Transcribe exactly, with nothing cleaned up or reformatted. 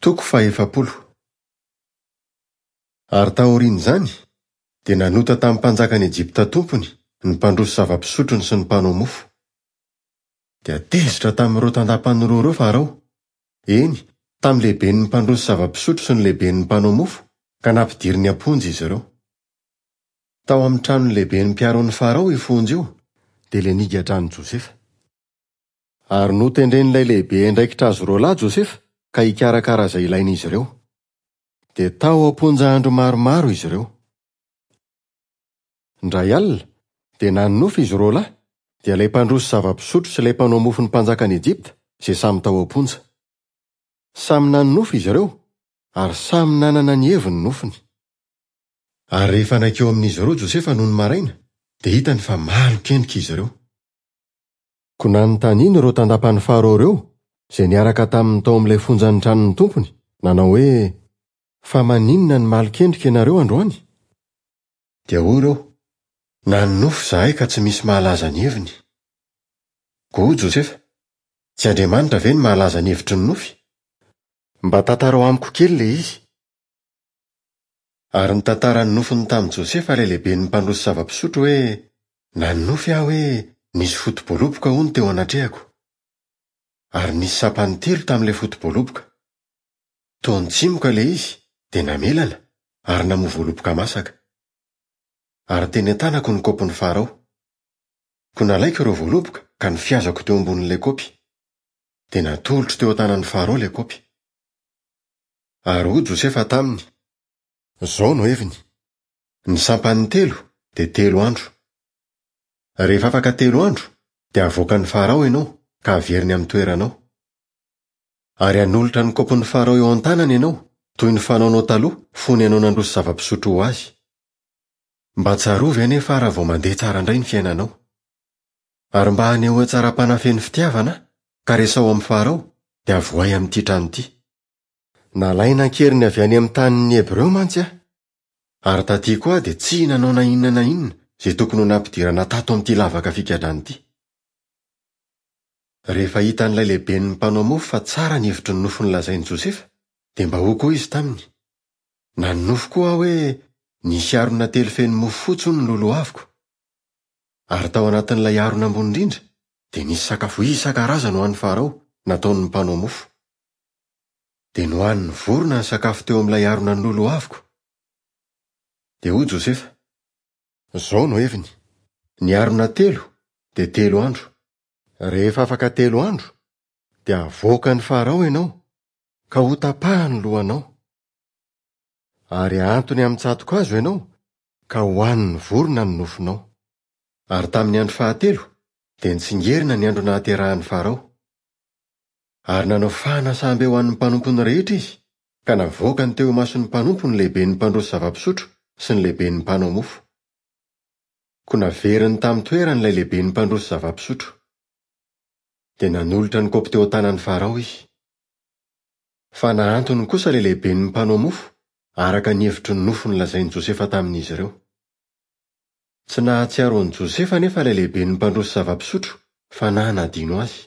Toko fahefapolo. Ary taorian'izany, dia nanota tamin'ny mpanjakan'i Ejipta tompony ny mpandroso zava-pisotrony sy ny mpanao mofo. Dia tezitra tamin'ireo tandapany roa ireo Farao, eny, tamin'ny lehiben'ny mpandroso zava-pisotro sy ny lehiben'ny mpanao mofo, ka nampidiriny am-ponja izy ireo. Tao amin'ny tranon'ny lehiben'ny mpiaron'ny Farao io fonja io, dia ilay nigadran'i Josefa. Ary notendren'ilay lehibe andraikitra azy roa lahy Josefa ka hikarakara izay ilain'izy ireo. Dia tao am-ponja andro maromaro izy ireo. Indray alina, dia nanonofy izy roa lahy, dia ilay mpandroso zava-pisotro sy ilay mpanao mofon'ny mpanjakan'i Ejipta, izay samy tao am-ponja. Samy nanonofy izy ireo, ary samy nanana ny heviny nofiny. Ary rehefa nankeo amin'izy ireo Josefa nony maraina, dia hitany fa malokendrika izy ireo. Koa nanontaniany ireo tandapan'ny Farao ireo, izay niaraka taminy tao amin'ilay fonjan'ny tranon'ny tompony, nanao hoe: "Fa maninona no malokendrika ianareo androany?" Dia hoy ireo: "Nanonofy izahay ka tsy misy mahalaza ny heviny." Koa hoy Josefa: "Tsy Andriamanitra ve no mahalaza ny hevitry ny nofy? Mba tantarao amiko kely ilay izy." Ary nitantara ny nofiny tamin'i Josefa ilay lehiben'ny mpandroso zava-pisotro hoe: "Nanonofy aho hoe nisy foto-boaloboka hono teo anatrehako. Ary nisy sampany telo tamin'ilay foto-boaloboka. Toa nitsimoka ilay izy, dia namelana ary namoa voaloboka masaka. Ary teny an-tanako ny kaopin'ny Farao. Koa nalaiko ireo voaloboka ka nofiazako teo ambonin'ilay kaopy. Dia natolotro teo an-tanan'ny Farao ilay kaopy." Ary hoy Josefa taminy: "Izao no heviny. Ny sampany telo dia telo andro. Rehefa afaka telo andro, dia havoakan'ny Farao ianao ka haveriny amin'ny toeranao. Ary hanolotra ny kaopin'ny Farao eo an-tanany ianao, toy ny fanaonao taloha fony ianao nandroso zava-pisotro ho azy. Mba tsarovy anefa raha vao mandeha tsara indray ny fiainanao. Ary mba haneho hatsaram-panahy feno fitiavana aho, ka resaho amin'ny Farao, dia avoahy amin'ity trano ity. Nalaina an-keriny avy any amin'ny tanin'ny Hebreo mantsy aho. Ary taty koa aho dia tsy nanao na inona na inona izay tokony ho nampidirana tato amin'ity lavaka figadrana ity." Rehefa hitan'ilay lehiben'ny mpanao mofo fa tsara ny hevitry ny nofiny lazain'i Josefa, dia mba hoy koa izy taminy: "Nanonofy koa aho hoe nisy harona telo feno mofo fotsy hono noloaviko. Ary tao anatin'ilay harona ambony indrindra dia nisy sakafo isan-karazany ho an'ny Farao nataon'ny mpanao mofo. Dia nohanin'ny vorona ny sakafo teo amin'ilay harona noloaviko." Dia hoy Josefa: "Izao no heviny. Ny harona telo dia telo andro. Rehefa afaka telo andro, dia havoakan'ny Farao ianao, ka hotapahany ny lohanao. Ary hahantony amin'ny tsato-kazo ianao, ka hohanin'ny vorona ny nofonao." Ary tamin'ny andro fahatelo, dia nitsingerina ny andro nahaterahan'ny Farao. Ary nanao fanasambe ho an'ny mpanompony rehetra izy, ka navoakany teo imason'ny mpanompo ny lehiben'ny mpandroso zava-pisotro sy ny lehiben'ny mpanao mofo. Koa naveriny tamin'ny toerany ilay lehiben'ny mpandroso zava-pisotro. Dia nanolotra ny kaopy teo an-tanan'ny Farao izy. Fa nahantony kosa ilay lehiben'ny mpanao mofo, araka ny hevitry ny nofo nolazain'i Josefa tamin'izy ireo. Tsy nahatsiaro an'i Josefa anefa ilay lehiben'ny mpandroso zava-pisotro fa nanadino azy.